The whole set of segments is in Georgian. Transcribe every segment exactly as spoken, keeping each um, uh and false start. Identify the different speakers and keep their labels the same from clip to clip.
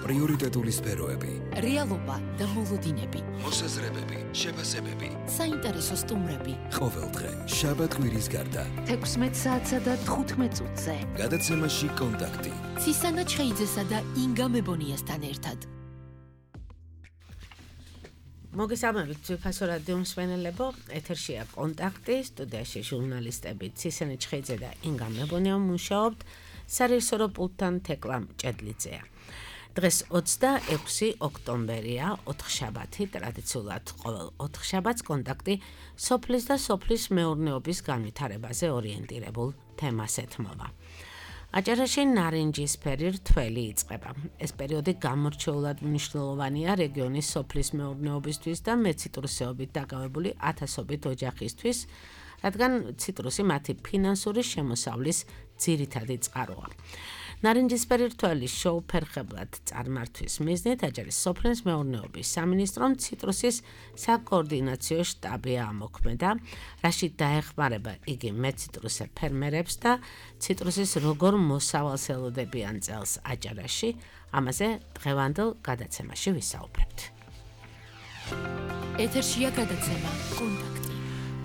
Speaker 1: პრიორიტეტული სფეროები,
Speaker 2: რეალობა და მოლოდინები,
Speaker 1: მოსაზრებები, შეფასებები,
Speaker 2: საინტერესო სტუმრები.
Speaker 1: ყოველდღე შაბათ-კვირის გარდა
Speaker 2: თექვსმეტ საათსა და თხუთმეტ წუთზე
Speaker 1: გადაცემაში კონტაქტი
Speaker 2: ცისანა ჩხეიძესა და ინგა მებონიასთან ერთად.
Speaker 3: მოგესალმებით ძვირფასო რადიო მსმენელებო, ეთერშია კონტაქტი, სტუდიაში ჟურნალისტები ცისანა ჩხეიძე და ინგა მებონია მუშაობთ, სარეჟისორო პულტთან თეკლა მჭედლიძეა. დღეს ოცდაექვსი ოქტომბერია, ოთხშაბათი, ტრადიციულად ყოველ ოთხშაბათს კონტაქტი სოფლის და სოფლის მეურნეობის განვითარებაზე ორიენტირებულ თემას ეთმობა. აჭარაში ნარინჯისფერი რთველი იწყება. ეს პერიოდი გამორჩეულად მნიშვნელოვანია რეგიონის სოფლის მეურნეობისთვის და მეციტრუსეობით დაკავებული ათასობით ოჯახისთვის, რადგან ციტრუსი მათი ფინანსური შემოსავლის ძირითადი წყაროა. ნარინჯისფერი რთველი შეუფერხებლად წარმართვის მიზნით აჭარის სოფლის მეურნეობის სამინისტრომ ციტრუსის საკოორდინაციო შტაბი ამოქმედა, რაში დაეხმარება იგი მეციტრუსე ფერმერებს და ციტრუსის როგორ მოსავალს ელოდებიან წელს აჭარაში. ამაზე დღევანდელ გადაცემაში ვისაუბრებთ.
Speaker 2: ეთერშია გადაცემა კონტაქტი.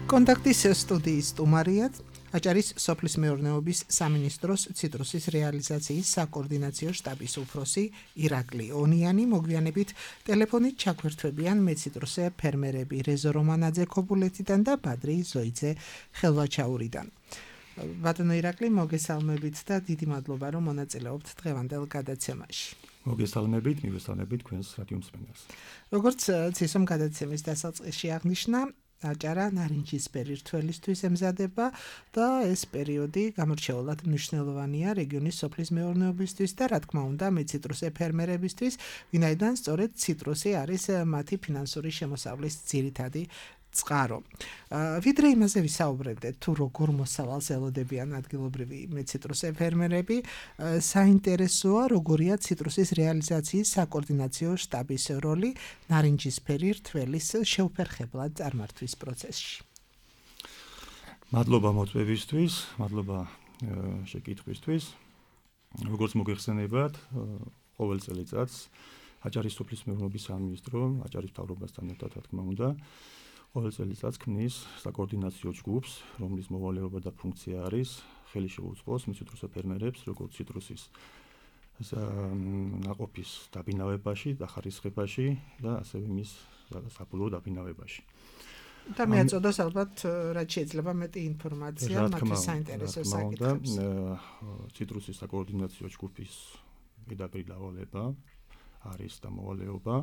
Speaker 4: კონტაქტის სტუდიის სტუმარია აჭარის სოფლის მეურნეობის სამინისტროს ციტრუსის რეალიზაციის საკოორდინაციო შტაბის უფროსი ირაკლი ონიანი. მოგვიანებით ტელეფონით ჩაგვერთვებიან მეციტრუსე ფერმერები რეზო რომანაძე ქობულეთიდან და ბადრი ზოიძე ხელვაჩაურიდან. ბატონო ირაკლი, მოგესალმებით და დიდი მადლობა რომ მონაწილეობთ დღევანდელ გადაცემაში.
Speaker 5: მოგესალმებით, მივესალმებით თქვენს რადიო მსმენელს.
Speaker 4: როგორც ცისომ გადაცემის დასაწყისში აღნიშნა, აჭარა ნარინჯისფერი რთველისთვის ემზადება და ეს პერიოდი გამორჩეულად მნიშვნელოვანია რეგიონის სოფლის მეურნეობისთვის და რა თქმა უნდა მეციტრუსე ფერმერებისთვის, ვინაიდან სწორედ ციტრუსი არის მათი ფინანსური შემოსავლის ძირითადი წყარო. ვიდრე იმაზე ვისაუბრებდეთ, თუ როგორ მოსავალს ელოდებიან ადგილობრივი მეციტრუსე ფერმერები, საინტერესოა როგორია ციტრუსის რეალიზაციის საკოორდინაციო შტაბის როლი ნარინჯისფერი რთველის შეუფერხებლად წარმართვის პროცესში.
Speaker 5: მადლობა მოწვევისთვის, მადლობა შეკითხვისთვის. როგორც მოგეხსენებათ, ყოველ წელიწადს აჭარის სოფლის მეურნეობის სამინისტრო აჭარის მთავრობასთან ერთად, რა თქმა უნდა, ყოველ წელიწადს ქმნის საკოორდინაციო ჯგუფს, რომლის მოვალეობა და ფუნქცია არის ხელი შეუწყოს მეციტრუსე ფერმერებს, როგორც ციტრუსის ნაყოფის დაბინავებაში, დახარისხებაში და ასევე მის საბოლოო დაბინავებაში.
Speaker 4: და მეაწოდოს ალბათ რაც შეიძლება მეტი ინფორმაცია მათთვის საინტერესო საკითხებს.
Speaker 5: ციტრუსის საკოორდინაციო ჯგუფის პირდაპირ დავალება არის და მოვალეობა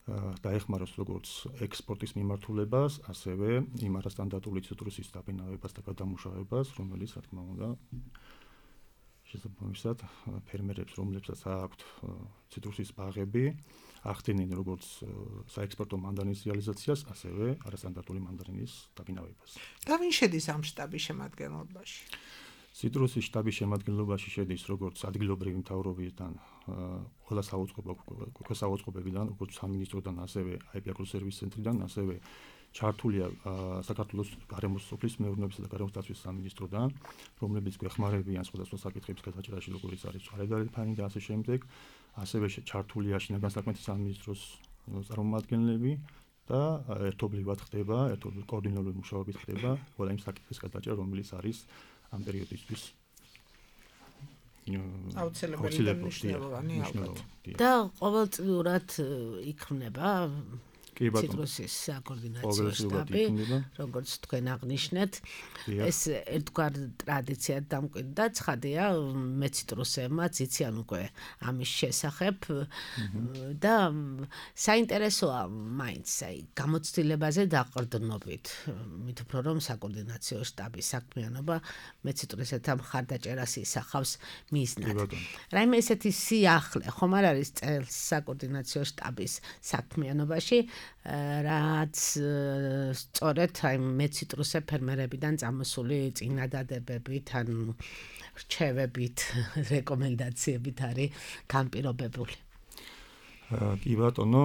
Speaker 5: დაეხმაროს როგორც ექსპორტის მიმართულებას, ასევე იმ არასტანდარტული ციტრუსის დაბინავებას და გადამუშავებას, რომელიც, რა თქმა უნდა, შესაბამისად ფერმერებს, რომლებსაც აქვთ ციტრუსის ბაღები, ახდენენ როგორც საექსპორტო მანდარის რეალიზაციას, ასევე არასტანდარტული მანდარინის დაბინავებას.
Speaker 4: და ვინ შედის ამ შტაბის შემადგენლობაში?
Speaker 5: ციტრუსის შტაბის შემადგენლობაში შედის როგორც ადგილობრივი მთავრობიდან, ყველა საავადმყოფოებიდან, როგორც სამინისტროდან, ასევე აი პი აგროსერვის ცენტრიდან, ასევე ჩართულია საქართველოს გარემოს სოფლის მეურნეობისა და გარემოს დაცვის სამინისტროდან, რომლებიც გვეხმარებიან სხვადასხვა საკითხების გადაჭრაში, როგორიც არის ცვალებადარი ფანი და ასე შემდეგ. ასევე ჩართულია შინაგან საქმეთა სამინისტროს წარმომადგენლები და ერთობლივად ხდება, ერთობლივ კოორდინირებული მუშაობით ხდება ყველა იმ საკითხის გადაჭრა, რომელიც არის ამ პერიოდისთვის
Speaker 4: აუცილებელი და მნიშვნელოვანი ალბათ.
Speaker 3: და ყოველწლიურად იქმნება ციტრუსის საკოორდინაციო შტაბი, როგორც თქვენ აღნიშნეთ, ეს ერთგვარ ტრადიციად დამკვიდრდა, ცხადია, მეციტრუსებმა იციან უკვე ამის შესახებ და საინტერესოა მაინც აი გამოცდილებაზე დაყრდნობით, მით უფრო რომ საკოორდინაციო შტაბის საქმიანობა მეციტრუსეთა მხარდაჭერას ისახავს მიზნად. რაიმე ესეთი სიახლე ხომ არ არის წელს საკოორდინაციო შტაბის საქმიანობაში, რაც სწორედ აი მეციტრუსე ფერმერებიდან წამოსული წინადადებებით ან რჩევებით, რეკომენდაციებით არის განპირობებული.
Speaker 5: კი ბატონო,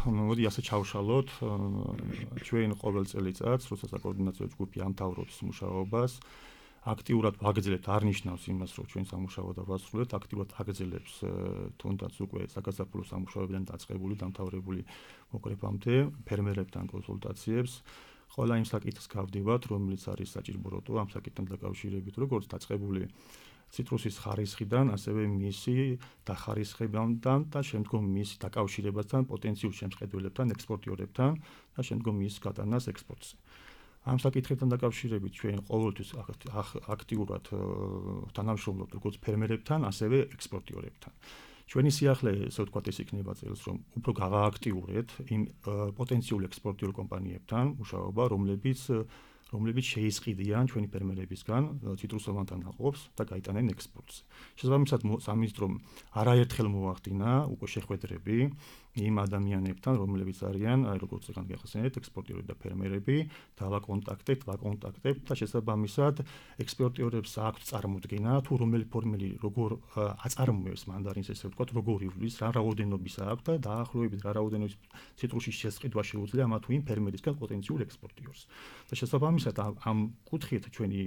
Speaker 5: მოდი ასე ჩავშალოთ, ჩვენ ყოველ წელიწადს, როცა საკოორდინაციო ჯგუფი ამთავრობს მუშაობას, აქტიურად ვაგრძელებთ არ ნიშნავს იმას, რომ ჩვენ სამუშაო დავასრულებთ, აქტიურად აგრძელებს თუნდაც უკვე საგაზაფხულო სამუშაოებიდან დაწყებული, დამთავრებული მოკრეფამდე ფერმერებთან კონსულტაციებს. Ყველა იმ საკითხს გავდივართ, რომელიც არის საჭიროებო ამ საკითხთან დაკავშირებით, როგორც დაწყებული ციტრუსის ხარისხიდან, ასევე მისი დახარისხებამდან და შემდგომ მისი დაკავშირებასთან პოტენციურ შემსყიდველებთან, ექსპორტიორებთან და შემდგომ მის გატანას ექსპორტზე. ამ საკითხებთან დაკავშირებით ჩვენ ყოველთვის აქტიურად თანამშრომლობთ როგორც ფერმერებთან, ასევე ექსპორტიორებთან. ჩვენი სიახლე, ესე ვთქვათ, ეს იქნება წელს, რომ უფრო გავააქტიურეთ იმ პოტენციურ ექსპორტიორ კომპანიებთან მუშაობა, რომლებიც რომლებიც შეისყიდიან ჩვენი ფერმერებისგან ციტრუსოვანთა ნაყოფს და გაიტანენ ექსპორტზე. შესაბამისად, სამინისტრომ არაერთხელ მოახდინა უკვე შეხვედრები იმ ადამიანებთან, რომლებიც არიან, აი როგორც ეგან გახსენეთ, ექსპორტიორები და ფერმერები, დავაკონტაქტებთ, ვაკონტაქტებთ და შესაბამისად ექსპორტიორებს აქვთ წარმოდგენა, თუ რომელი ფორმელი როგორ აწარმოებს მანდარინს, ესე ვთქვათ, როგორ ივლის, რა რაოდენობის აქვს და დაახლოებით რა რაოდენობის ციტრუსის შესყიდვა შეუძლია ამა თუ იმ ფერმერისგან პოტენციურ ექსპორტიორს. და შესაბამისად ამ კუთხით ჩვენი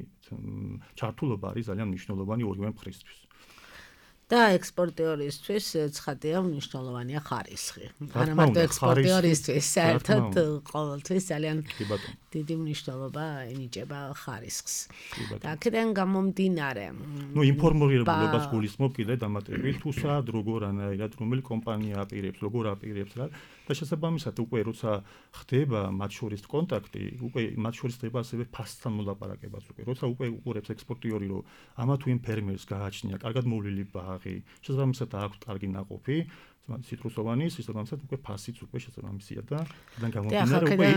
Speaker 5: ჩართულობა არის ძალიან მნიშვნელოვანი ორივე მხრისთვის.
Speaker 3: და ექსპორტიორისთვის ცხადია მნიშვნელოვანია ხარისხი. არა მარტო ექსპორტიორისთვის, საერთოდ ყოველთვის ძალიან დიდი მნიშვნელობა ენიჭება ხარისხს. და აქედან გამომდინარე,
Speaker 5: ნუ ინფორმირებულობას გულისხმობ კიდე დამატებით, თუ სად როგორ ანაირად რომელი კომპანია აპირებს, როგორ აპირებს რა და შესაბამისად უკვე როცა ხდება მათ შორის კონტაქტი, უკვე მათ შორის ხდება ასევე ფასთან მოლაპარაკებაც უკვე. როცა უკვე უყურებს ექსპორტიორი, რომ ამა თუ იმ ფერმერს გააჩნია კარგად მოვლილი ბაღი, შესაბამისად აქვს კარგი ნაყოფი, ციტრუსოვანის, შესაბამისად უკვე ფასიც უკვე შესაბამისია დაიდან გამომდინარე უკვე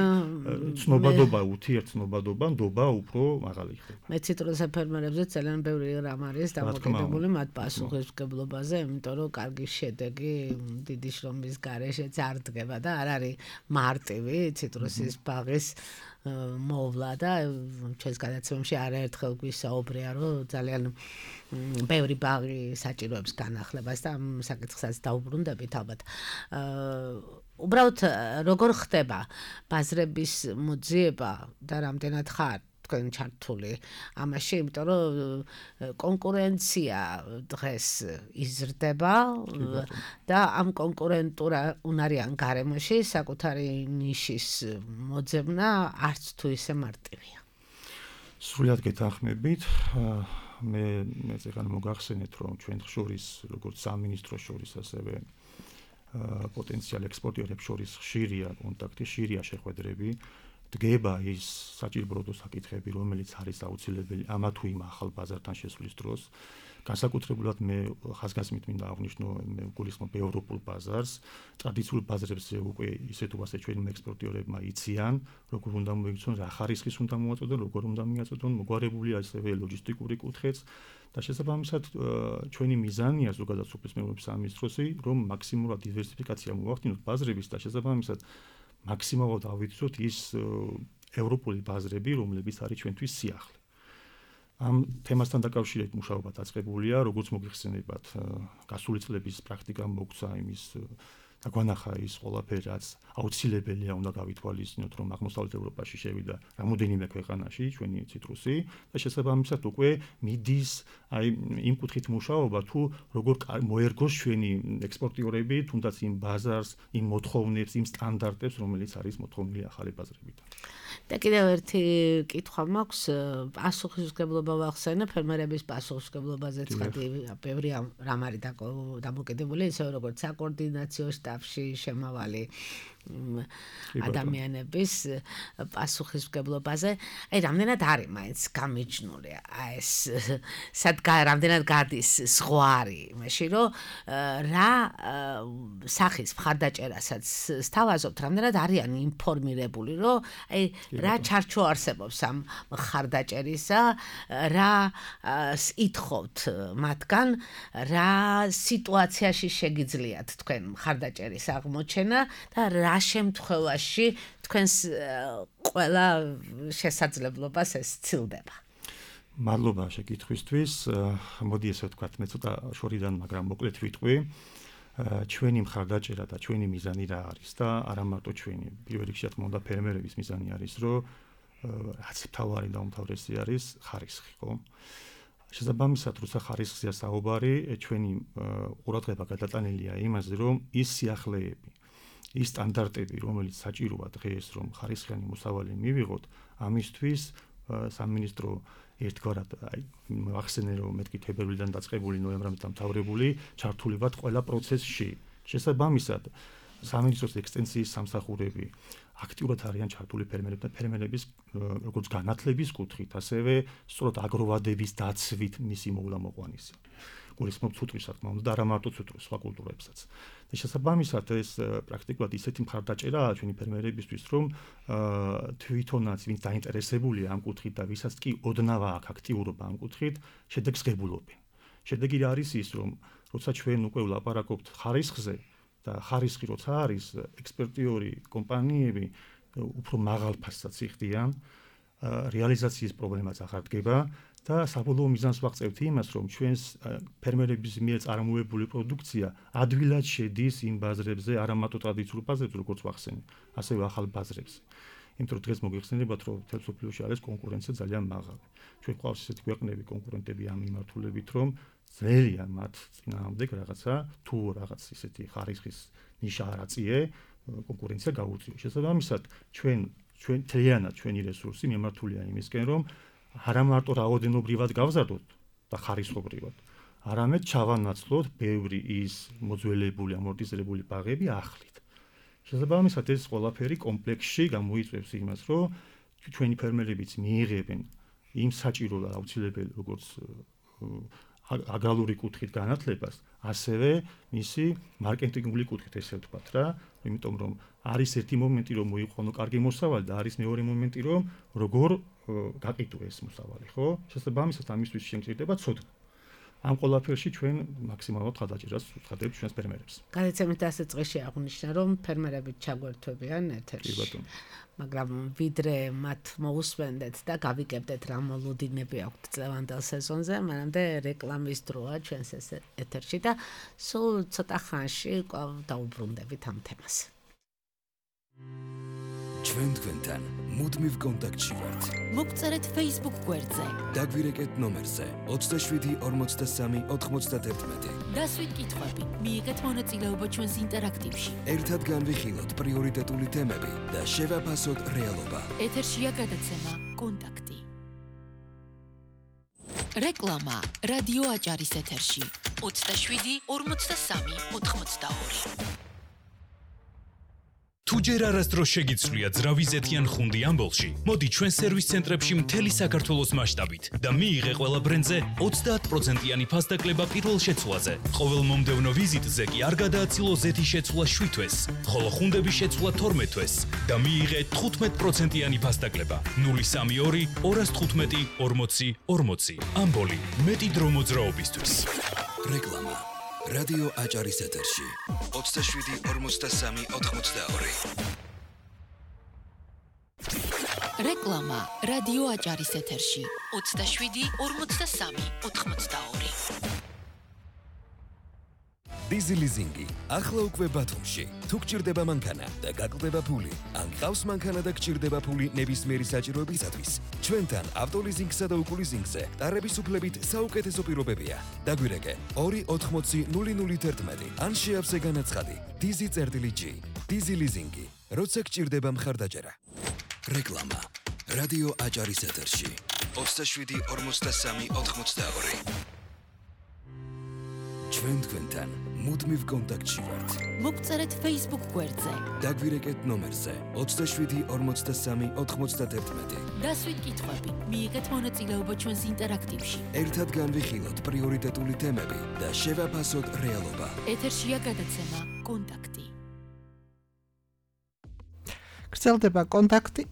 Speaker 5: ცნობადობა, ურთიერთცნობადობა, ნდობა უფრო მაღალი ხდება.
Speaker 3: მე ციტრუსე ფერმერებზე ძალიან ბევრი რამ არის დამოკიდებული მათ პასუხისმგებლობაზე, იმიტომ რომ კარგი შედეგი დიდი შრომის გარეშეც არ დგება და არ არის მარტივი ციტრუსის ბაღის მოვლა და ჩვენს გადაცემებში არაერთხელ გვისაუბრია, რომ ძალიან ბევრი ბაღი საჭიროებს განახლებას და ამ საკითხსაც დაუბრუნდებით ალბათ. უბრალოდ როგორ ხდება ბაზრების მოძიება და რამდენად ხარ თქვენ ჩართული ამაში, იმიტომ რომ კონკურენცია დღეს იზრდება და ამ კონკურენტულ უნარიან გარემოში საკუთარი ნიშის მოძებნა არც თუ ისე მარტივია.
Speaker 5: სრულად გეთანხმებით, მე მე ეხლა მოგახსენეთ, რომ ჩვენ შორის როგორც სამინისტროს შორის ასევე პოტენციალ ექსპორტიორებს შორის ხშირია კონტაქტი, ხშირია შეხვედრები. დგება ის საჭიროებო საკითხები, რომელიც არის აუცილებელი ამა თუ იმ ახალ ბაზართან შესვლის დროს. განსაკუთრებულად მე ხაზგასმით მინდა აღვნიშნო, მე გულისხმობ ევროპულ ბაზარს. ტრადიციულ ბაზრებზე უკვე ისე თუ ასე ჩვენი ექსპორტიორებმა იციან, როგორ უნდა მოიქცნენ, რა ხარისხის უნდა მოაწოდონ, როგორ უნდა მიაწოდონ, მოგვარებულია ასევე ლოჯისტიკური კუთხეც და შესაბამისად ჩვენი მიზანია ზოგადად სოფლის მეურნეობის სამინისტროსი, რომ მაქსიმალურად დივერსიფიკაცია მოვახდინოთ ბაზრების და შესაბამისად მაქსიმალურად ავიცოთ ის ევროპული ბაზრები, რომლებიც არის ჩვენთვის სიახლე. ამ თემასთან დაკავშირებით მუშაობა დაწყებულია, როგორც მოგიხსენებათ, გასული წლების პრაქტიკა მოგცა იმის და გვანახა ის ყველაფერი, რაც აუცილებელია უნდა გავითვალისწინოთ, რომ აღმოსავლეთ ევროპაში შევიდა რამოდენიმე ქვეყანაში ჩვენი ციტრუსი და შესაბამისად უკვე მიდის აი იმ კუთხით მუშაობა, თუ როგორ მოერგოს ჩვენი ექსპორტიორები, თუნდაც იმ ბაზარს, იმ მოთხოვნებს, იმ სტანდარტებს, რომელიც არის მოთხოვნილი ახალი ბაზრებიდან.
Speaker 3: და კიდევ ერთი კითხვა მაქვს, პასუხისმგებლობა ვახსენე, ფერმერების პასუხისმგებლობაზე ცხადი ბევრი რამ არის დამოკიდებული, ისე როგორც საკოორდინაციო შტაბში შემავალი ადამიანების პასუხისმგებლობაზე. აი, რამდენად არის მაინც გამიჯნული ეს სად რამდენად გადის ზღვარი, იმაში, რომ რა სახის მხარდაჭერასაც სთავაზობთ, რამდენად არიან ინფორმირებული, რომ აი რა ჩარჩო არსებობს ამ მხარდაჭერისა, რა ითხოვთ მათგან, რა სიტუაციაში შეგიძლიათ თქვენ მხარდაჭერის აღმოჩენა და რა შემთხვევაში თქვენს ყველა შესაძლებლობას ეს ცილდება.
Speaker 5: მადლობა შეკითხვისთვის. მოდი ესე ვთქვათ, მე ცოტა შორიდან, მაგრამ მოკლედ ვიტყვი. ჩვენი მხარდაჭერა და ჩვენი მიზანი რა არის და არა მარტო ჩვენი, პირველ რიგში თქმა უნდა ფერმერების მიზანი არის, რომ რაც თავარი და უმთავრესი არის ხარისხი, ხო? შესაბამისად, როცა ხარისხზეა საუბარი, ჩვენი ყურადღება გადატანილია იმაზე, რომ ის სიახლეები, ის სტანდარტები, რომელიც საჭიროა დღეს, რომ ხარისხიანი მოსავალი მივიღოთ, ამისთვის სამინისტრო ერთგვარად აი ახსენე რომ მეთქი თებერვლიდან დაწყებული ნოემბრამდე დამთავრებული ჩართული ვართ ყველა პროცესში. შესაბამისად, სამინისტროს ექსტენსიის სამსახურები აქტიურად არიან ჩართული ფერმერებთან ფერმერების როგორც განათლების კუთხით, ასევე სწორად აგროვადების დაცვით მისი მოვლა-მოყვანისი. გულისხმობ ცუტრს, რა თქმა უნდა, და არა მარტო ცუტრს, სხვა კულტურებსაც. და შესაბამისად ეს პრაქტიკულად ისეთი მხარდაჭერაა ჩვენი ფერმერებისთვის, რომ თვითონაც ვინც დაინტერესებულია ამ კუთხით და ვისაც კი ოდნავ აქვს აქტიურობა ამ კუთხით, შედეგს ღებულობენ. შედეგი არის ის, რომ როცა ჩვენ უკვე ვლაპარაკობთ ხარისხზე და ხარისხი როცა არის, ექსპერტიორი კომპანიები უფრო მაღალ ფასსაც იხდიან, რეალიზაციის პრობლემაც აღარ დგება და საბოლოო მიზანს ვაღწევთ იმას, რომ ჩვენს ფერმერების მიერ წარმოებული პროდუქცია ადვილად შედის იმ ბაზრებზე, არა მარტო ტრადიციულ ბაზრებზე, როგორც ვახსენე, ასევე ახალ ბაზრებზე. იმიტომ რომ დღეს მოგეხსენებათ, რომ მთელ მსოფლიოში არის კონკურენცია ძალიან მაღალი. ჩვენ გვყავს ისეთი ქვეყნები კონკურენტები ამ მიმართულებით, რომ ძნელია მათ წინააღმდეგ რაღაცა თუ რაღაც ისეთი ხარისხის ნიშა არაწიე კონკურენცია გაუწიო. შესაბამისად, ჩვენ ჩვენ თლიანად ჩვენი რესურსი მიმართულია იმისკენ, რომ არა მარტო რაოდენობრივად გავზარდოთ და ხარისხობრივად, არამედ ჩავანაცვლოთ ბევრი ის მოძველებული, ამორტიზირებული ბაღები ახლით. შესაბამისად, ეს ყველაფერი კომპლექსში გამოიწვევს იმას, რომ ჩვენი ფერმერებიც მიიღებენ იმ საჭირო და აუცილებელ როგორც აგრალური კუთხით განათლებას, ასევე მისი მარკეტინგული კუთხით, ესე ვთქვათ რა, იმიტომ რომ არის ერთი მომენტი, რომ მოიყვანო კარგი მოსავალი და არის მეორე მომენტი, რომ როგორ გაყიდო ეს მოსავალი, ხო? შესაბამისად, ამისთვის შეგიძლია ცოდნა. ამ ყველაფერში ჩვენ მაქსიმალურად ხადაჭერას ვუხადებთ ჩვენს ფერმერებს.
Speaker 3: გადაცემის დასაწყისში აღნიშნა, რომ ფერმერები ჩაგვერთვებიან ეთერში. მაგრამ ვიდრე მათ მოусვენდეთ და გავიგებდეთ რა მოლოდინები აქვთ წლევანდელ სეზონზე, მანამდე რეკლამის დროა ჩვენს ეთერში და სულ ცოტა ხანში კვლავ დაუბრუნდებით ამ თემას.
Speaker 1: ჩვენ თქვენთან მუდმივ კონტაქტში ვართ.
Speaker 2: მოგწერეთ Facebook გვერდზე.
Speaker 1: დაგვირეკეთ ნომერზე ოცდაშვიდი ორმოცდასამი ოთხმოცდაათერთმეტი.
Speaker 2: დასვით კითხვები, მიიღეთ მონაწილეობა ჩვენს ინტერაქტივში.
Speaker 1: ერთად განვიხილოთ პრიორიტეტული თემები და შევაფასოთ რეალობა.
Speaker 2: ეთერშია გადაცემა კონტაქტი. რეკლამა რადიო აჭარის ეთერში ოცდაშვიდი ორმოცდასამი ოთხმოცდაორი.
Speaker 6: თუ ჯერ არასდროს შეგიცვლია ძრავიზეთიან ხუნდი ამბოლში, მოდი ჩვენ სერვის ცენტრებში მთელი საქართველოს მასშტაბით და მიიღე ყველა ბრენდზე ოცდაათ პროცენტიანი ფასდაკლება პირველ შეცვლაზე. ყოველ მომდევნო ვიზიტზე კი არ გადააცილო ზეთის შეცვლა შვიდ თვეს, ხოლო ხუნდების შეცვლა თორმეტ თვეს და მიიღე თხუთმეტ პროცენტიანი ფასდაკლება. ნული სამი ორი ორას თხუთმეტი ორმოცი ორმოცი. ამბოლი, მეტი დრო მოძრაობისთვის.
Speaker 1: რეკლამა რადიო აჭარის ეთერში ოცდაშვიდი ორმოცდასამი ოთხმოცდაორი.
Speaker 2: რეკლამა რადიო აჭარის ეთერში ოცდაშვიდი ორმოცდასამი ოთხმოცდაორი.
Speaker 1: დიზი ლიზინგი ახლა უკვე ბათუმში. თუ გჭირდება მანქანა და გაკლდება ფული, ან გყავს მანქანა და გჭირდება ფული ნებისმიერი საჭიროებისათვის, ჩვენთან ავტოლიზინგსა და უკულიზინგზე ტარების უფლებით საუკეთესო პირობებია. დაგვირეკე ორი ოთხმოცი ნული ნული თერთმეტი ან შეავსე განაცხადი დიზი წერტილი ჯი. დიზი ლიზინგი, როცა გჭირდება მხარდაჭერა. რეკლამა რადიო აჭარის ეთერში ოცდაშვიდი ორმოცდასამი ოთხმოცდაორი. ჩვენ თქვენთან მუდმივ კონტაქტში ვართ.
Speaker 2: მოგწერეთ Facebook გვერდზე.
Speaker 1: დაგვირეკეთ ნომერზე ოცდაშვიდი ორმოცდასამი ოთხმოცდაათერთმეტი.
Speaker 2: დასვით კითხვები, მიიღეთ მონაწილეობა ჩვენს ინტერაქტივში.
Speaker 1: ერთად განვიხილოთ პრიორიტეტული თემები და შევაფასოთ რეალობა.
Speaker 2: ეთერშია გადაცემა კონტაქტი.
Speaker 4: გრძელდება კონტაქტი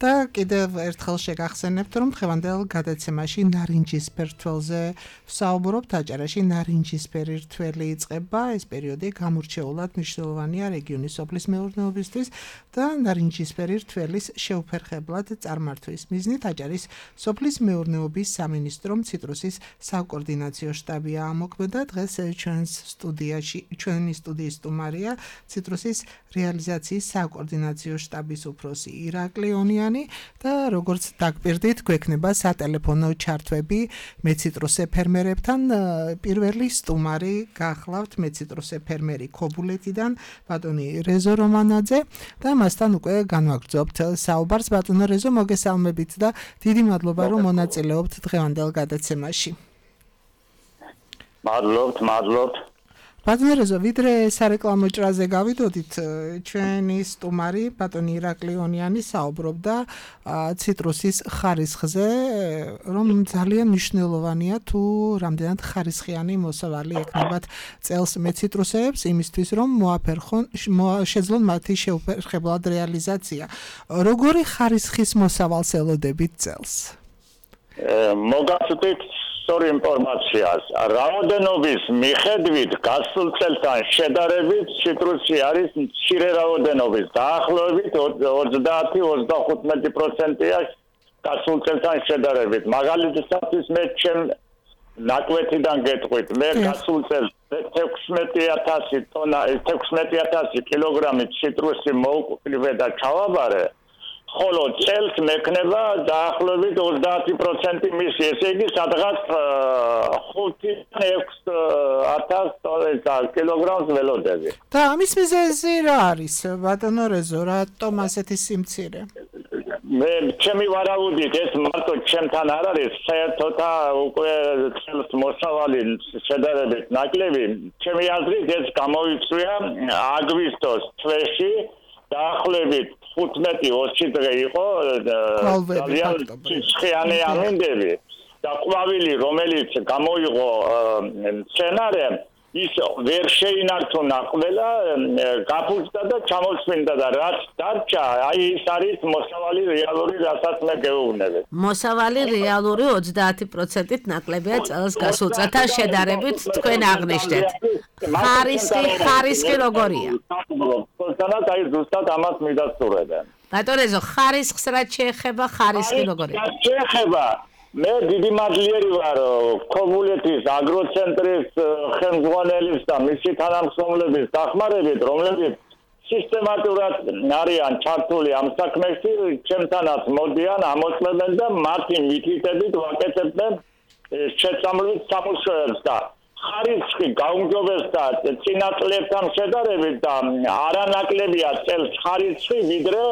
Speaker 4: და კიდევ ერთხელ შეგახსენებთ, რომ დღევანდელ გადაცემაში ნარინჯისფერ რთველზე ვსაუბრობთ. აჭარაში ნარინჯისფერი რთველი იწყება. ეს პერიოდი გამორჩეულად მნიშვნელოვანია რეგიონის სოფლის მეურნეობისთვის და ნარინჯისფერი რთველის შეუფერხებლად წარმართვის მიზნით აჭარის სოფლის მეურნეობის სამინისტრომ ციტრუსის საკოორდინაციო შტაბია ამოქმედა. დღეს ჩვენს სტუდიაში, ჩვენი სტუდიის სტუმარია ციტრუსის რეალიზაციის საკოორდინაციო შტაბის უფროსი ირაკლი ონიანი მაკედონიანი და როგორც დაგპირდით, გვექნება სატელეფონო ჩართვები მეციტრუსე ფერმერებთან. პირველი სტუმარი გახლავთ მეციტრუსე ფერმერი ქობულეთიდან, ბატონი რეზო რომანაძე და მასთან უკვე განვაგრძობთ საუბარს. ბატონო რეზო, მოგესალმებით და დიდი მადლობა რომ მონაწილეობთ დღევანდელ გადაცემაში.
Speaker 7: მადლობთ, მადლობთ.
Speaker 4: ბატონო რეზო, ვიდრე სარეკლამო ჭრაზე გავიდოდით, ჩვენი სტუმარი ბატონი ირაკლი ონიანი საუბრობდა ციტრუსის ხარისხზე, რომ ძალიან მნიშვნელოვანია თუ რამდენად ხარისხიანი მოსავალი ექნებათ წელს მეციტრუსეებს იმისთვის რომ მოაფერხონ შეძლონ მათი შეუფერხებლად რეალიზაცია. როგორი ხარისხის მოსავალს ელოდებით წელს?
Speaker 7: მოგახსოვთ სწორი ინფორმაციას. რაოდენობის მიხედვით გასულ წელთან შედარებით ციტრუსი არის მცირე რაოდენობის, დაახლოებით ოცდაათი ოცდახუთმეტი პროცენტია გასულ წელთან შედარებით. მაგალითად, მე ჩემ ნაკვეთიდან გეტყვით, მე გასულ წელს თექვსმეტი ათასი ტონა, თექვსმეტი ათასი კილოგრამი ციტრუსი მოვკვდე და ჩავაბარე. ხოლო წელს მექნება დაახლოებით ოცდაათი პროცენტი მისი, ესე იგი სადღაც ხუთი ექვსი ათასი კილოგრამს ველოდები.
Speaker 4: და ამის მიზეზი რა არის, ბატონო რეზო, რატომ ასეთი სიმცირე?
Speaker 7: მე ჩემი ვარაუდით ეს მარტო ჩემთან არ არის, საერთოდ უკვე წელს მოსავალი შედარებით ნაკლები. ჩემი აზრით ეს გამოიწვია აგვისტოს თვეში დაახლოებით ხუთმეტი ოცი დღე იყო ძალიან ციხიანი ამინდები და ყვავილი რომელიც გამოიღო სცენარე ის ვერ შეინარჩუნა ყველა გაფუძდა და ჩამოსვინდა და რაც დარჩა აი ის არის მოსავალი რეალური რასაც მე გეუბნები.
Speaker 3: მოსავალი რეალური ოცდაათი პროცენტით ნაკლებია წელს გასულ წელთან შედარებით თქვენ აღნიშნეთ. ხარისხი ხარისხი როგორია?
Speaker 7: თანაც აი ზუსტად ამას მიდასტურებენ.
Speaker 3: ბატონო რეზო, ხარისხს რაც შეეხება, ხარისხი როგორია?
Speaker 7: შეეხება მე დიდი მადლიერი ვარ ქობულეთის აგროცენტრის ხელმძღვანელის და მისი თანამშრომლების დახმარებით, რომლებიც სისტემატურად არიან ჩართული ამ საქმეში, ჩემთანაც მოდიან, ამოწმებენ და მათი მითითებით ვაკეთებენ შეწამლით სამუშაოებს და ხარისხი გაუმჯობესდა წინა წლებთან შედარებით და არანაკლებია წელს ხარისხი ვიდრე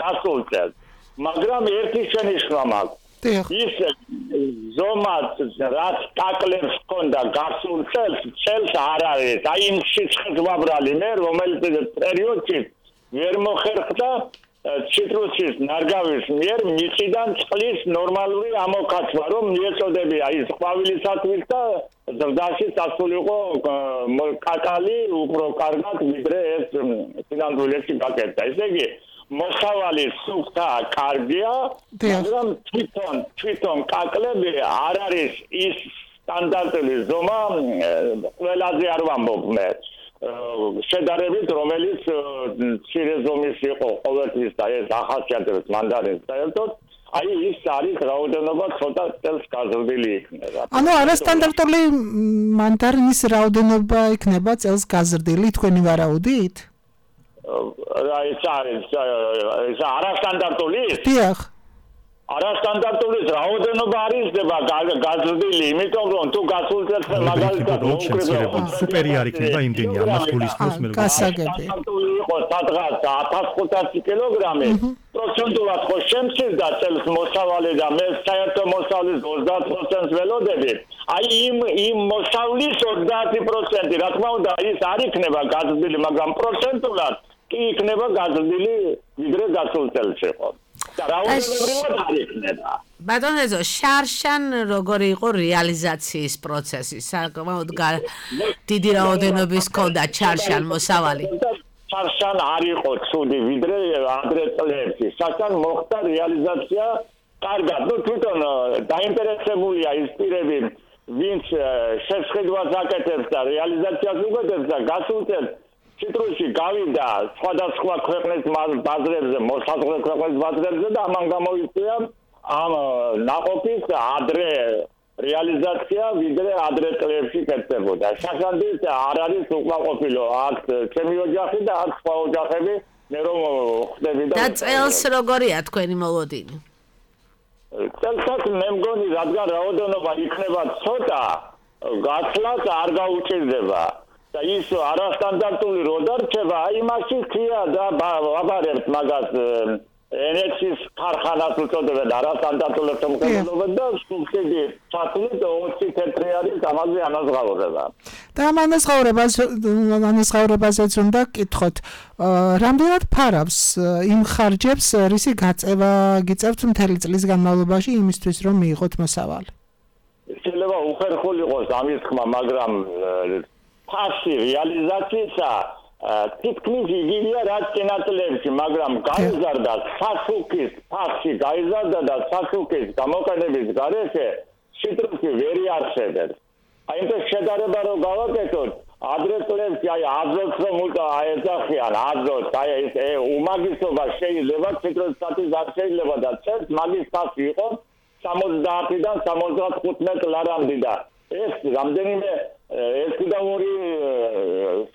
Speaker 7: გასულ წელს. მაგრამ ერთი შენიშვნა მაქვს. ის ზომად რაც კაკლებს ჰქონდა გასულ წელს, წელს არ არის. აი იმ სიცხეს ვაბრალი მე, რომელიც პერიოდში ვერ მოხერხდა ციტრუსის ნარგავის მიერ მიწიდან წყლის ნორმალური ამოკაცვა, რომ მიეწოდებია ის ყვავილისათვის და ზრდაში სასულიყო კაკალი უფრო კარგად ვიდრე ეს სინამდვილეში გაკეთდა. ესე იგი მოსავალი სუფთა კარგია, მაგრამ თვითონ თვითონ კაკლები არ არის ის სტანდარტული ზომა, ყველაზე არ ვამბობ მე. შედარებით რომელიც მცირე ზომის იყო ყოველთვის და ეს ახასიათებს მანდარინს საერთოდ, აი ის არის რაოდენობა ცოტა წელს გაზრდილი იქნება.
Speaker 4: ანუ არასტანდარტული მანდარინის რაოდენობა იქნება წელს გაზრდილი თქვენი ვარაუდით?
Speaker 7: ეს არის ეს არასტანდარტული?
Speaker 4: დიახ.
Speaker 7: არასტანდარტული რაოდენობა არის ხდება გაზრდილი, იმიტომ რომ თუ გასულ წელს მაგალითად
Speaker 5: მოკრება სუპერი არ იქნება იმდენი ამას გულისხმობს მე.
Speaker 4: გასაგები.
Speaker 7: იყო სადღაც ათას ხუთასი კილოგრამი. პროცენტულად ხო შემცირდა წელს მოსავალი და მე საერთო მოსავლის ოცდაათ პროცენტს ველოდები. აი იმ იმ მოსავლის ოცდაათი პროცენტი რა თქმა უნდა ის არ იქნება გაზრდილი, მაგრამ პროცენტულად კი იქნება გაზრდილი ვიდრე გასულ წელს იყო. და რაოდენობრივად არ იქნება.
Speaker 3: ბატონო რეზო, შარშან როგორი იყო რეალიზაციის პროცესი? საკმაოდ დიდი რაოდენობის ჰქონდა შარშან მოსავალი.
Speaker 7: შარშან არ იყო ცუდი ვიდრე ადრე წლებში. შარშან მოხდა რეალიზაცია კარგად. ნუ თვითონ დაინტერესებულია ის პირები, ვინც შეხედვას აკეთებს და რეალიზაციას უგებებს და გასულ წელს ციტრუსი გავიდა სხვადასხვა ქვეყნის ბაზრებზე, მოსაზღვრე ქვეყნის ბაზრებზე და ამან გამოიწვია ამ ნაყოფის ადრე რეალიზაცია ვიდრე ადრე წლებში კეთდებოდა. შაშანდის არ არის უკმაყოფილო აქ ჩემი ოჯახი და აქ სხვა ოჯახები მე რომ ხდები და
Speaker 3: და წელს როგორია თქვენი მოლოდინი?
Speaker 7: წელსაც მე მგონი რადგან რაოდენობა იქნება ცოტა, გაცლას არ გაუჭირდება. და ის არასტანდარტული რო დარჩება, აი მასი ხია და ვაბარებთ მაგას ენერგიის ქარხანას უწოდებენ არასტანდარტული შემოქმედებად და სუბსიდია ჩათვლით ოცი თეთრი არის ამაზე ანაზღაურება.
Speaker 4: და ამ ანაზღაურებას ანაზღაურებაზეც უნდა გკითხოთ, რამდენად ფარავს იმ ხარჯებს, რისი გაწევა გიწევთ მთელი წლის განმავლობაში იმისთვის, რომ მიიღოთ მოსავალი?
Speaker 7: შეიძლება უხერხული იყოს ამის ხმა, მაგრამ ფასი რეალიზაციისა თითქმის იგივეა რაც წინაწლებში, მაგრამ გაიზარდა სასუქის ფასი, გაიზარდა და სასუქის გამოყენების გარეშე ციტრუსი ვერ იარსებებს. აი ეს შედარება რო გავაკეთოთ, ადრე წლებში აი აზოტს რომ აეძახიან, აზოტს, აი ეს უმაგისობა შეიძლება ციტრუსის არ შეიძლება და წელს მაგის ფასი იყო სამოცდაათიდან სამოცდახუთმეტ ლარამდე და ეს რამდენიმე ერთი და ორი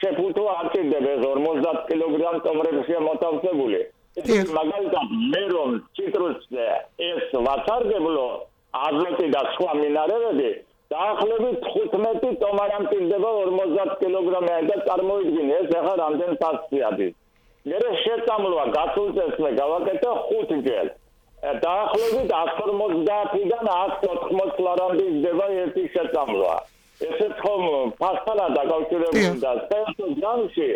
Speaker 7: შეფუთო არ ჭირდება ორმოცდაათ კილოგრამ ტომრებშია მოთავსებული. მაგალითად მე რომ ციტრუსზე ეს ვაცარგებლო აზოტი და სხვა მინარევები დაახლოებით თხუთმეტი ტომარამ ჭირდება ორმოცდაათ კილოგრამიან და წარმოიდგინე ეს ახლა რამდენ ფასი არის. მე შეწამლოა გასულ წელს მე გავაკეთე ხუთი ჯერ. დაახლოებით εκατს ორმოცდაათიდან εκατს ოთხმოცდ ლარამდე იდება ერთი შეწამლვა. ესეც ხომ ფასთან დაკავშირებული და საერთოდ ჯამში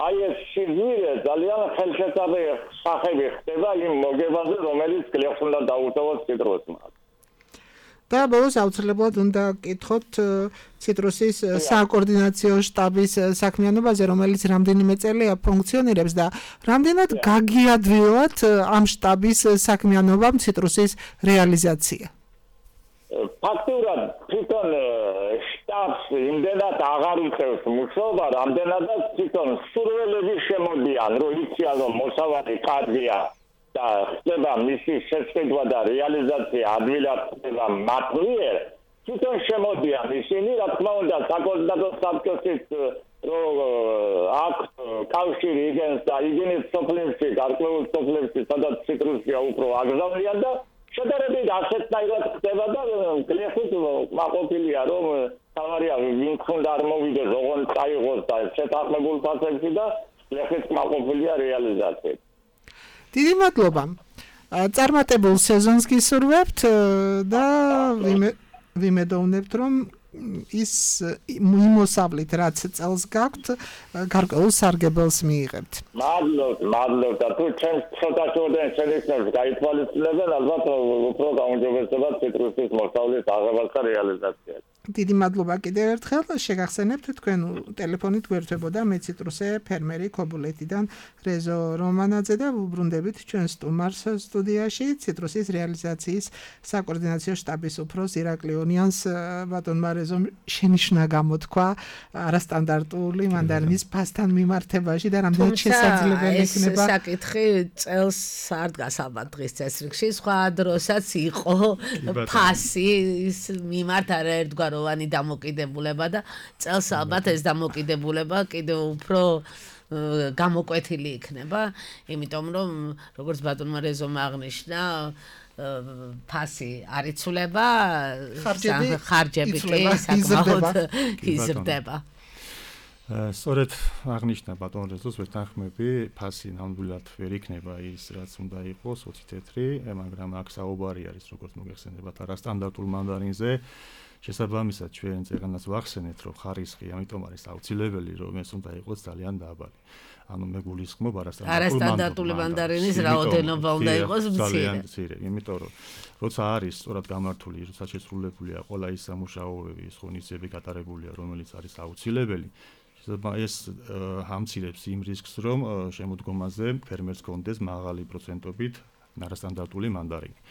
Speaker 7: აი ეს სიზმირე ძალიან ხელშეწამი სახები ხდება იმ მოგებაზე, რომელიც გლეხს უნდა დაუტოვოს ციტრუსმა.
Speaker 4: და ბოლოს აუცილებლად უნდა გკითხოთ ციტრუსის საკოორდინაციო შტაბის საქმიანობაზე, რომელიც რამდენიმე წელია ფუნქციონირებს და რამდენად გაგიადვილად ამ შტაბის საქმიანობამ ციტრუსის რეალიზაცია.
Speaker 7: ფაქტურად თვითონ შტაბს იმდენად აღარ უწევს მუშაობა, რამდენადაც თვითონ სურველები შემოდიან, რომ იციან, რომ მოსავალი კარგია და ხდება მისი შეწყვეტა და რეალიზაცია ადვილად ხდება მათ მიერ, თვითონ შემოდიან ისინი, რა თქმა უნდა, საკონსულტატო საბჭოსით რომ აქვს კავშირი იგენს და იგენის სოფლებში, გარკვეულ სოფლებში, სადაც ციტრუსია უფრო აგზავნიან და შედარებით ასეთნაირად ხდება და გლეხით მაყოფილია, რომ თავარია ვინც უნდა არ მოვიდეს, ოღონდ წაიღოს და შეთანხმებულ ფასებში და გლეხით მაყოფილია რეალიზაციით.
Speaker 4: დიდი მადლობა. წარმატებულ სეზონს გისურვებთ და ვიმედოვნებთ, რომ ის იმოსავლით, რაც წელს გაქვთ, გარკვეულ სარგებელს მიიღებთ.
Speaker 7: მადლობთ, მადლობთ და თუ ჩემს ცოტა შორდენ შედეგებს გაითვალისწინებენ, ალბათ უფრო გაუმჯობესდება ციტრუსის მოსავლის აღებას და რეალიზაციას.
Speaker 4: დიდი მადლობა კიდევ ერთხელ. შეგახსენებთ, თქვენ ტელეფონით გვერდებოდა მე ციტრუსე ფერმერი ქობულეთიდან რეზო რომანაძე და ვუბრუნდებით ჩვენ სტუმარს სტუდიაში ციტრუსის რეალიზაციის საკოორდინაციო შტაბის უფროს ირაკლი ონიანს. ბატონმა რეზომ შენიშვნა გამოთქვა არასტანდარტული მანდარინის ფასთან მიმართებაში და რამდენად შესაძლებელი იქნება.
Speaker 3: ეს საკითხი წელს არ დგას ალბათ დღის წესრიგში, სხვა დროსაც იყო ფასის მიმართ არაერთგვარ ვანი დამოკიდებულება და წელს ალბათ ეს დამოკიდებულება კიდევ უფრო გამოკვეთილი იქნება, იმიტომ რომ როგორც ბატონმა რეზომ აღნიშნა, ფასი არ იცვლება, ხარჯები კი საკმაოდ იზრდება.
Speaker 5: სწორედ აღნიშნა ბატონ რეზოს ვეთანხმები, ფასი ნამდვილად ვერ იქნება ის, რაც უნდა იყოს ოცი თეთრი, მაგრამ აქ საუბარი არის, როგორც მოგეხსენებათ, არასტანდარტულ მანდარინზე. შესაბამისად ჩვენ წეგანას ვახსენეთ, რომ ხარისხი ამიტომ არის აუცილებელი, რომ ეს უნდა იყოს ძალიან დაბალი. ანუ მე გულისხმობ
Speaker 3: არასტანდარტული მანდარინის რაოდენობა უნდა იყოს
Speaker 5: მცირე. იმიტომ რომ როცა არის სწორად გამართული, როცა შესრულებულია ყველა ის სამუშაოები, ის ღონისძიებები გატარებულია, რომელიც არის აუცილებელი, ეს ამცირებს იმ რისკს, რომ შემოდგომაზე ფერმერს კონდეს მაღალი პროცენტობით არასტანდარტული მანდარინი.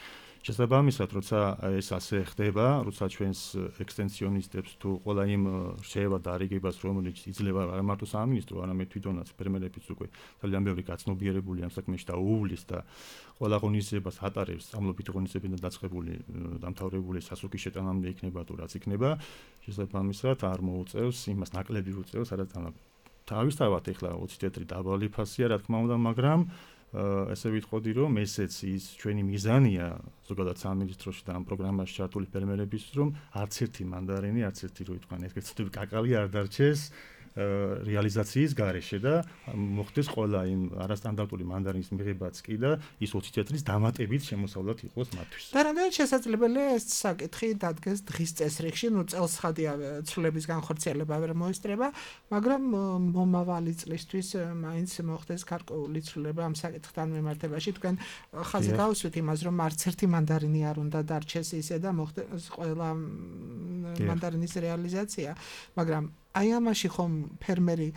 Speaker 5: შესაბამისად, როცა ეს ასე ხდება, როცა ჩვენს ექსტენსიონისტებს თუ ყველა იმ რჩევა დარიგებას, რომელიც იძლევა არა მარტო სამინისტრო, არამედ თვითონაც ფერმერებიც უკვე ძალიან ბევრი გაცნობიერებული ამ საქმეში და უვლის და ყველა ღონისძიებას ატარებს, სწავლობით ღონისძიებიდან დაწყებული დამთავრებული სასუქის შეტანამდე იქნება თუ რაც იქნება, შესაბამისად არ მოუწევს იმას ნაკლები უწევს არასტანდარტულ თავისთავად ეხლა ოცი თეთრი დაბალი ფასია, რა თქმა უნდა, მაგრამ ესე ვიტყოდი, რომ ესეც ის ჩვენი მიზანია ზოგადად სამინისტროში და ამ პროგრამაში ჩართული ფერმერების, რომ არც ერთი მანდარინი, არც ერთი რო ითქვან, ერთ წუთი კაკალი არ დარჩეს რეალიზაციის გარეშე და მოხდეს ყველა იმ არასტანდარტული მანდარინის მიღებაც კი და ის ოცი თეთრის დამატებით შემოსავლად იყოს მათთვის.
Speaker 4: და რამდენად შესაძლებელია ეს საკითხი დადგეს დღის წესრიგში, ნუ წელსხადია ცვლილების განხორციელება ვერ მოესწრება, მაგრამ მომავალი წლისთვის მაინც მოხდეს გარკვეული ცვლილება ამ საკითხთან მიმართებაში. თქვენ ხაზი გავუსვით იმას, რომ არც ერთი მანდარინი არ უნდა დარჩეს ისე და მოხდეს ყველა მანდარინის რეალიზაცია, მაგრამ აი ამაში ხომ ფერმერი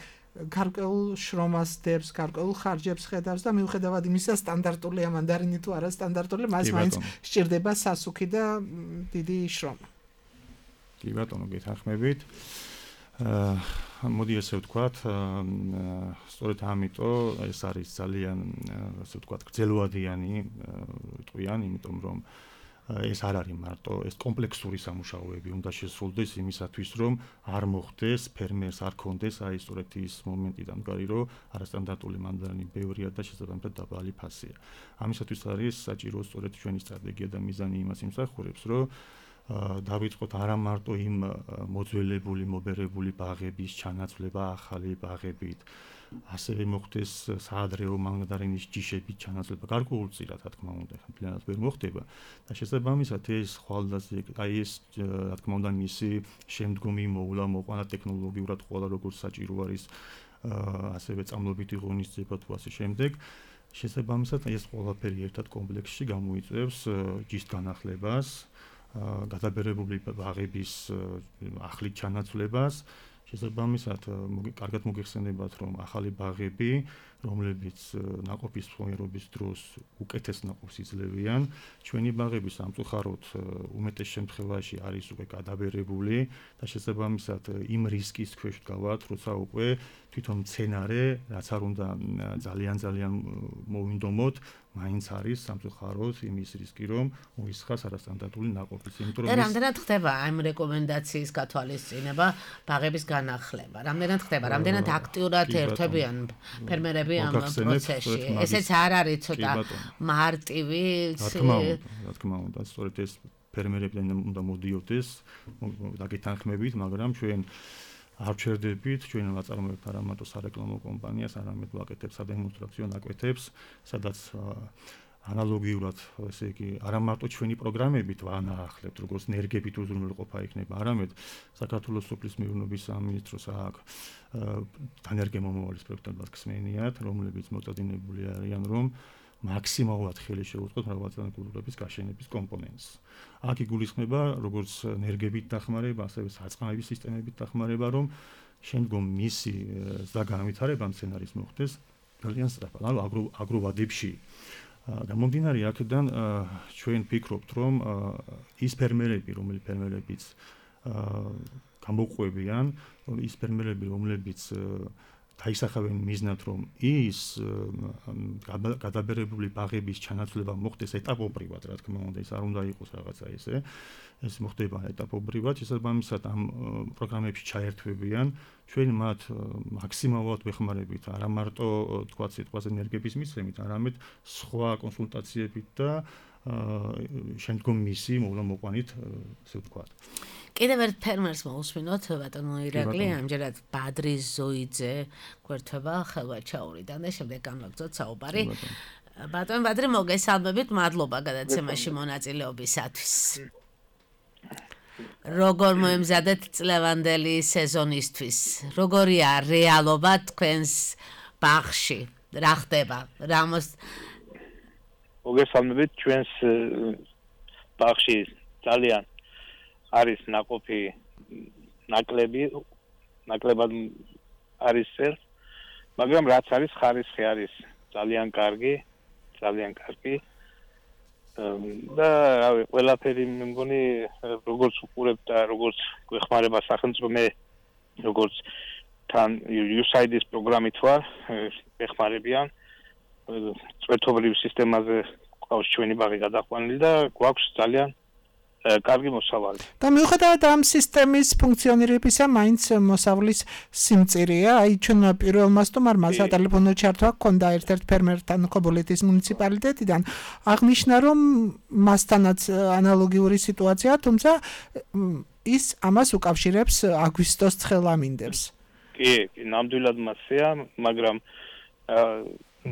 Speaker 4: გარკვეულ შრომას დებს, გარკვეულ ხარჯებს ხედავს და მიუხედავად იმისა სტანდარტულია მანდარინი თუ არა სტანდარტული, მას მაინც სჭირდება სასუქი და დიდი შრომა.
Speaker 5: კი ბატონო, გეთანხმებით. აა მოდი ესე ვთქვათ, სწორედ ამიტომ ეს არის ძალიან ასე ვთქვათ, გრძელვადიანი ტყვიანი, იმიტომ რომ ეს არ არის მარტო ეს კომპლექსური სამუშაოები უნდა შესრულდეს იმისათვის, რომ არ მოხდეს ფერმერს არ კონდეს აი სწორედ ის მომენტი დამდგარი, რომ არასტანდარტული მანდარინი ბევრია და შესაბამისად დაბალი ფასია. ამისათვის არის საჭირო სწორედ ჩვენი სტრატეგია და მიზანი იმას იმსახურებს, რომ დავიწყოთ არა მარტო იმ მოძველებული, მობერებული ბაღების ჩანაცვლება ახალი ბაღებით, ასევე მოხდეს საადრეო მანდარინის ჯიშების ჩანაცვლება გარკვეულწილად, რა თქმა უნდა, ხმლიანად ვერ მოხდება და შესაბამისად ეს ხვალდაზე, აი ეს რა თქმა უნდა მისი შემდგომი მოვლა მოყვანა ტექნოლოგიურად ყველა როგორც საჭირო არის ასევე წამლობითი ღონისძიება თუ ასე შემდეგ. შესაბამისად ეს ყველაფერი ერთად კომპლექსში გამოიწვევს ჯიშის განახლებას, გადაბერებული ბაღების ახლით ჩანაცვლებას. შესაბამისად, კარგად მოგეხსენებათ, რომ ახალი ბაღები, რომლებიც ნაყოფის ფორმირების დროს უკეთეს ნაყოფს იძლევიან, ჩვენი ბაღები სამწუხაროდ უმეტეს შემთხვევაში არის უკვე გადაბერებული და შესაბამისად იმ რისკის ქვეშ დგავართ, როცა უკვე თვითონ მცენარე, რაც არ უნდა ძალიან ძალიან მოვინდომოთ, მაინც არის სამწუხაროდ იმის რისკი, რომ მოისხას არასტანდარტული ნაყოფის. იმიტომ რომ
Speaker 3: რამდენად ხდება ამ რეკომენდაციის გათვალისწინება ბაღების განახლება? რამდენად ხდება? რამდენად აქტიურად ერთვებიან ფერმერები ამ პროცესში? ესეც არ არის ცოტა მარტივი.
Speaker 5: რა თქმა უნდა, რა თქმა უნდა, სწორედ ეს ფერმერებიდან უნდა მოდიოდეს დაგეთანხმებით, მაგრამ ჩვენ არ ვჩერდებით, ჩვენ ვაწარმოებთ არა მარტო სარეკლამო კომპანიას, არამედ ვაკეთებთ სადემონსტრაციო ნაკვეთებს, სადაც ანალოგიურად, ესე იგი, არა მარტო ჩვენი პროგრამებით ვანაახლებთ, როგორც ნერგებით უზრუნველყოფა იქნება, არამედ საქართველოს სოფლის მეურნეობის სამინისტროს აქვს დანერგემომავალის პროექტებად ხსმენიათ, რომლებიც მოწადინებული არიან, რომ მაქსიმალურად ხელი შეუწყოთ მრავალწლიანი კულტურების გაშენების კომპონენტს. აქ იგულისხმება როგორც ნერგებით დახმარება, ასევე სარწყავების სისტემებით დახმარება, რომ შემდგომ მისი ზრდა-განვითარება მცენარის მოხდეს ძალიან სწრაფად, ანუ აგროვადებში. გამომდინარე აქედან ჩვენ ვფიქრობთ, რომ ის ფერმერები, რომელი ფერმერებიც გამოყვებიან, ის ფერმერები, რომლებიც დაისახავენ მიზნად, რომ ის გადაბერებული ბაღების ჩანაცვლება მოხდეს ეტაპობრივად, რა თქმა უნდა, ეს არ უნდა იყოს რაღაცა ესე, ეს მოხდება ეტაპობრივად, შესაბამისად ამ პროგრამებში ჩაერთვებიან, ჩვენ მათ მაქსიმალურად ვეხმარებით, არა მარტო თქვათ სიტყვაზე ენერგების მისცემით, არამედ სხვა კონსულტაციებით და შემდგომ მისი მოვლა-მოყვანით, ასე ვთქვათ.
Speaker 3: კიდევ ერთ ფერმერს მოусმინოთ, ბატონო ირაკლი, ამჯერად ბადრის ზოიძე გვერდება ხელვაჩაურიდან და შემდეგ გამაგზავნოთ საუბარი. ბატონო ბადრი, მოგესალმებით, მადლობა გადაცემაში მონაწილეობისათვის. როგორ მოემზადეთ წლევანდელი სეზონისთვის? როგორია რეალობა თქვენს ბაღში? რა ხდება? რა მოს
Speaker 8: მოგესალმებით, ჩვენს ბაღში ძალიან არის ნაყოფი ნაკლები, ნაკლებად არის წერ, მაგრამ რაც არის ხარისხი არის ძალიან კარგი, ძალიან კარგი. და რავი, ყველაფერი მე მგონი როგორც უყურებთ და როგორც გვეხმარება სახელმწიფო, მე როგორც თან იუ ეს აი დი-ის პროგრამით ვარ, ეხმარებიან. წვეთობრივ სისტემაზე ყავს ჩვენი ბაღი გადაყვანილი და გვაქვს ძალიან კარგი მოსავალი.
Speaker 4: და მიუხედავად ამ სისტემის ფუნქციონირებისა, მაინც მოსავლის სიმწირეა. აი ჩვენ პირველმა სტუმარმა სატელეფონო ჩართვა ჰქონდა ერთ-ერთ ფერმერთან ქობულეთის მუნიციპალიტეტიდან. აღნიშნა, რომ მასთანაც ანალოგიური სიტუაცია, თუმცა ის ამას უკავშირებს აგვისტოს ცხელამინდებს.
Speaker 8: კი, კი, ნამდვილად მასეა, მაგრამ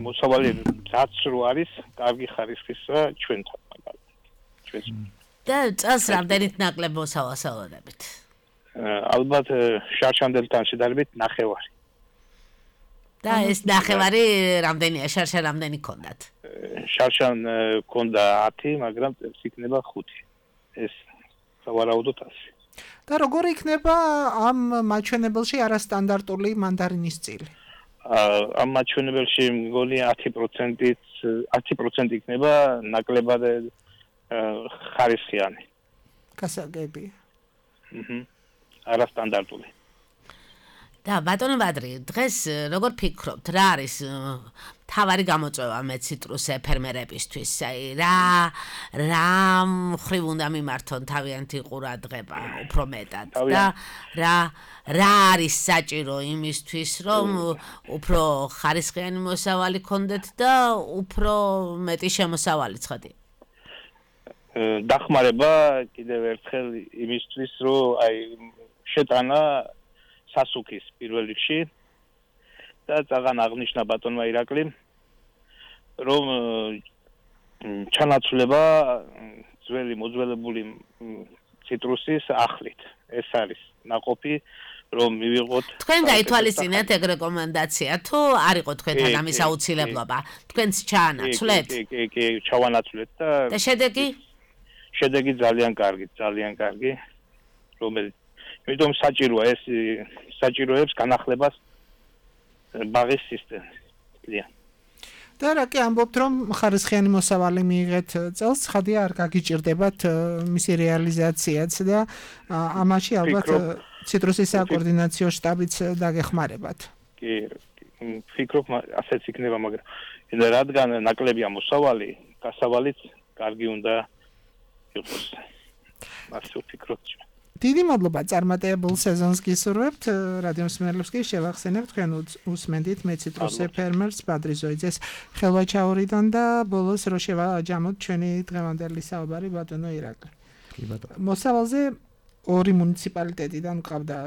Speaker 8: მოსავალი რაც რო არის, კარგი ხარისხისა ჩვენთან მაგალითად. ჩვენს
Speaker 3: და წელს რამდენით ნაკლებ მოსავალს ავადებით?
Speaker 8: ალბათ შარშანდელთან შედარებით ნახევარი.
Speaker 3: და ეს ნახევარი რამდენია? შარშა რამდენი გქონდათ?
Speaker 8: შარშან გქონდა ათი, მაგრამ წელს იქნება ხუთი. ეს სავარაუდოდ ასი.
Speaker 4: და როგორ იქნება ამ მაჩვენებელში არასტანდარტული მანდარინის წილი?
Speaker 8: ამ მაჩვენებელში მგონი ათი პროცენტით ათი პროცენტი იქნება ნაკლებად ხარისხიანი.
Speaker 4: გასაგები.
Speaker 8: აჰა. არასტანდარტული.
Speaker 3: და ბატონო ბადრი, დღეს როგორ ფიქრობთ, რა არის მთავარი გამოწვევა მე ციტრუსე ფერმერებისთვის? აი რა რა მხრივ უნდა მიმართონ თავიანთი ყურადღება უფრო მეტად და რა რა არის საჭირო იმისთვის, რომ უფრო ხარისხიანი მოსავალი გქონდეთ და უფრო მეტი შემოსავალი ცხადია?
Speaker 8: დახმარება კიდევ ერთხელ იმისთვის, რომ აი შეტანა სასუქის პირველ რიგში და ძალიან აღნიშნა ბატონმა ირაკლიმ, რომ ჩანაცვლება ძველი მოძველებული ციტრუსის ახლით. ეს არის ნაყოფი, რომ მივიღოთ.
Speaker 3: თქვენ გაითვალისწინეთ ეგ რეკომენდაცია თუ არ იყო თქვენთან ამის აუცილებლობა? თქვენც ჩაანაცვლეთ?
Speaker 8: კი, კი, კი, ჩავანაცვლეთ და
Speaker 3: და შედეგი?
Speaker 8: შედეგი ძალიან კარგი, ძალიან კარგი, რომელიც იმიტომ საჭიროა ეს საჭიროებს განახლებას ბაღის სისტემის.
Speaker 4: და რა კი ამბობთ, რომ ხარისხიანი მოსავალი მიიღეთ წელს, ხადია არ გაგიჭირდებათ მისი რეალიზაციაც და ამაში ალბათ ციტრუსის საკოორდინაციო შტაბიც დაგეხმარებათ.
Speaker 8: კი, ფიქრობ ასეც იქნება, მაგრამ რადგან ნაკლებია მოსავალი, გასავალიც კარგი უნდა იყოს. ასე ვფიქრობ.
Speaker 4: დიდი მადლობა წარმატებულ სეზონს გისურვებთ. რადიო მსმენელებს კი შევახსენებთ, თქვენ უსმენდით მე ციტრუსე ფერმერს ბადრი ზოიძეს ხელვაჩაურიდან და ბოლოს რო შევაჯამოთ ჩვენი დღევანდელი საუბარი ბატონო ირაკლი.
Speaker 5: კი ბატონო.
Speaker 4: მოსავალზე ორი მუნიციპალიტეტიდან ყავდა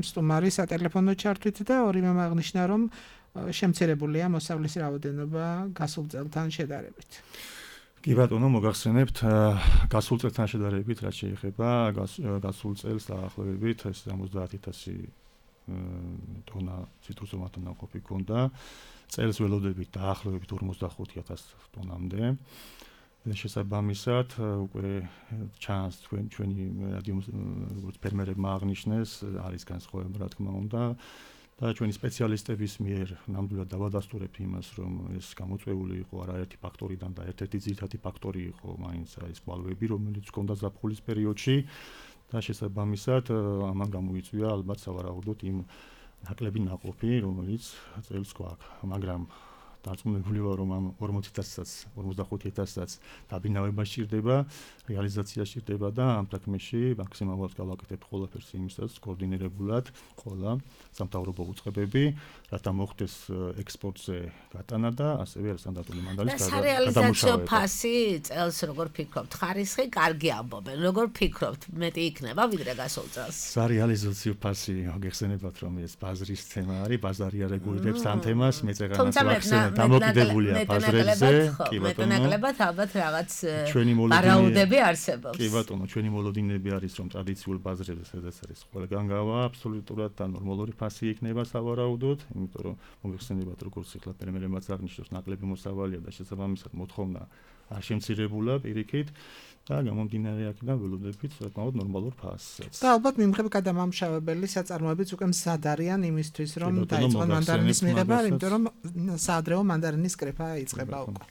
Speaker 4: სტუმარი სატელეფონო ჩართვით და ორივე აღნიშნა, რომ შემცირებულია მოსავლის რაოდენობა გასულ წელთან შედარებით.
Speaker 5: კი ბატონო, მოგახსენებთ, გასულ წელთან შედარებით, რაც შეეხება გასულ წელს დაახლოებით ოცდაათი ათასი ტონა ციტრუსოვანი ნაყოფი ჰქონდა. წელს ველოდებით დაახლოებით ორმოცდახუთი ათასი ტონამდე. შესაბამისად, უკვე ჩანს თქვენ ჩვენი რადიო როგორც ფერმერებმა აღნიშნეს, არის განსხვავება, რა თქმა უნდა. და ჩვენი სპეციალისტების მიერ ნამდვილად დავადასტურებთ იმას, რომ ეს გამოწვეული იყო არაერთი ფაქტორიდან და ერთ-ერთი ძირითადი ფაქტორი იყო მაინც ეს კვალვები, რომელიც ჰქონდა ზაფხულის პერიოდში და შესაბამისად ამან გამოიწვია ალბათ სავარაუდოდ იმ ნაკლები ნაყოფი, რომელიც წელს გვაქვს, მაგრამ დარწმუნებული ვარ, რომ ამ ორმოცი ათასაც, ორმოცდახუთი ათასაც დაბინავება სჭირდება, რეალიზაცია სჭირდება და ამ საქმეში მაქსიმალურად გავაკეთებ ყველაფერს იმისაც კოორდინირებულად ყველა სამთავრობო უწყებები, რათა მოხდეს ექსპორტზე გატანა და ასევე სტანდარტული მანდარის გადამუშავება.
Speaker 3: სარეალიზაციო ფასი წელს როგორ ფიქრობთ? ხარისხი კარგი ამბობენ. როგორ ფიქრობთ? მეტი იქნება ვიდრე გასულ წელს?
Speaker 5: სარეალიზაციო ფასი, გეხსენებათ, რომ ეს ბაზრის თემა არის, ბაზარი არეგულირებს ამ თემას, მე წეგანაც ვახსენებ. დამოკიდებულია ბაზრებზე, კი ბატონო.
Speaker 3: ნაკლებად ალბათ რაღაც ვარაუდები არსებობს.
Speaker 5: კი ბატონო, ჩვენი მოლოდინები არის, რომ ტრადიციულ ბაზრებზე, სადაც არის ყველგან გავა, აბსოლუტურად და ნორმალური ფასი იქნება სავარაუდოდ, იმიტომ რომ მოგეხსენებათ, როგორც ახლა ფერმერებმაც აღნიშნავს, ნაკლები მოსავალია და შესაბამისად მოთხოვნა არ შემცირებულა პირიქით და გამომდინარე აქედან ველოდებით საკმაოდ ნორმალურ ფასს.
Speaker 4: და ალბათ მიმღებ გადამამუშავებელი საწარმოებიც უკვე მზად არიან იმისთვის, რომ დაიწყონ მანდარინის მიღება, იმიტომ რომ საადრეო მანდარინის კრეფა იწყება უკვე.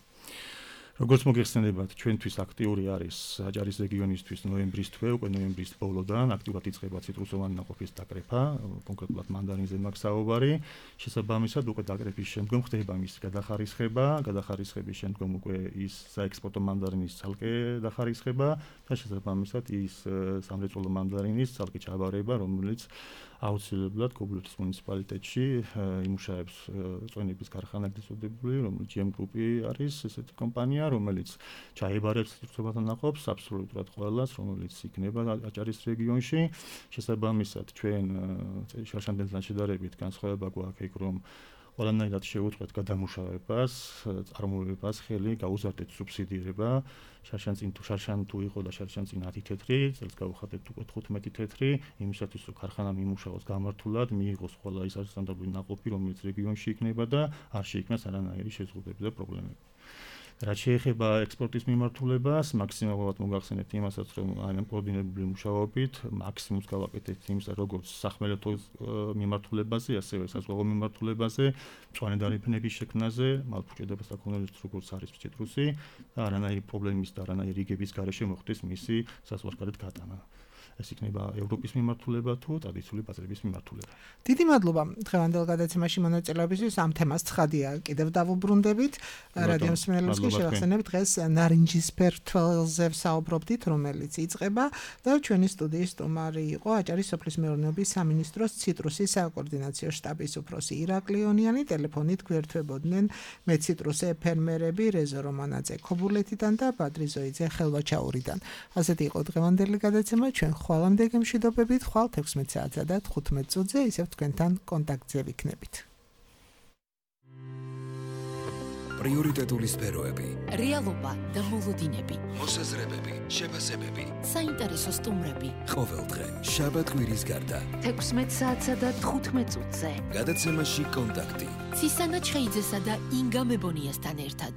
Speaker 5: როგორც მოგეხსენებათ, ჩვენთვის აქტიური არის აჭარის რეგიონისთვის ნოემბრის თვე, უკვე ნოემბრის ბოლოდან აქტიურად იწყება ციტრუსოვანი ნაყოფის დაკრეფა, კონკრეტულად მანდარინზე მაქვს საუბარი. შესაბამისად, უკვე დაკრეფის შემდგომ ხდება მისი გადახარისხება, გადახარისხების შემდგომ უკვე ის საექსპორტო მანდარინის ცალკე დახარისხება და შესაბამისად ის სამრეწველო მანდარინის ცალკე ჩაბარება, რომელიც აუცილებლად ქობულეთის მუნიციპალიტეტში იმუშავებს წვენების ქარხანა გწოდებული, რომელიც ჯი ემ გრუპი არის, ესეთი კომპანია, რომელიც ჩაებარებს ციტრუსოვან ნაყოფს აბსოლუტურად ყველას, რომელიც იქნება აჭარის რეგიონში. შესაბამისად, ჩვენ შარშანდელთან შედარებით განსხვავება გვაქვს იქ, რომ ყველანაირად შეუწყოთ გადამუშავებას, წარმოებას, ხელი გაუზარდეთ სუბსიდირება. შარშან წინ თუ შარშან თუ იყო და შარშან წინ ათი თეთრი, წელს გავუხატეთ უკვე თხუთმეტი თეთრი, იმისათვის რომ ქარხანა მიმუშაოს გამართულად, მიიღოს ყველა ის არასტანდარტული ნაყოფი, რომელიც რეგიონში იქნება და არ შეიქმნას არანაირი შეზღუდვები და პრობლემები. რაც შეეხება ექსპორტის მიმართულებას, მაქსიმალურად მოგახსენებთ იმასაც, რომ აი ამ კოორდინირებული მუშაობით მაქსიმუმს გავაკეთებთ იმისა, როგორც სახმელეთო მიმართულებაზე, ასევე საზღვაო მიმართულებაზე, მწვანე დარიფნების შექმნაზე, მალფუჭედებას აკონოლებს როგორც არის ციტრუსი და არანაირი პრობლემის და არანაირი რიგების გარეშე მოხდეს მისი საზღვარგარეთ გატანა. ეს იქნება ევროპის მიმართულება თუ ტრადიციული ბაზრების მიმართულება.
Speaker 4: დიდი მადლობა დღევანდელ გადაცემაში მონაწილეობისთვის. ამ თემას ცხადია კიდევ დავუბრუნდებით. რადიო მსმენელებს შევახსენებთ დღეს ნარინჯისფერ თვალზე ვსაუბრობდით, რომელიც იწყება და ჩვენი სტუდიის სტუმარი იყო აჭარის სოფლის მეურნეობის სამინისტროს ციტრუსის საკოორდინაციო შტაბის უფროსი ირაკლი ონიანი. ტელეფონით გვერდთვებოდნენ მეციტრუსე ფერმერები რეზო რომანაძე ქობულეთიდან და ბადრი ზოიძე ხელვაჩაურიდან. ასეთი იყო დღევანდელი გადაცემა. ჩვენ ხვალამდე გემშვიდობებით, ხვალ თექვსმეტ საათსა და თხუთმეტ წუთზე ისევ თქვენთან კონტაქტზე ვიქნებით.
Speaker 1: პრიორიტეტული სფეროები,
Speaker 2: რეალობა და მოლოდინები,
Speaker 1: მოსაზრებები, შეფასებები,
Speaker 2: საინტერესო სტუმრები.
Speaker 1: ყოველდღე, შაბათ-კვირის გარდა.
Speaker 2: თექვსმეტ საათსა და თხუთმეტ წუთზე.
Speaker 1: გადაცემაში კონტაქტი.
Speaker 2: ცისანა ჩხეიძესა და ინგა მებონიასთან ერთად.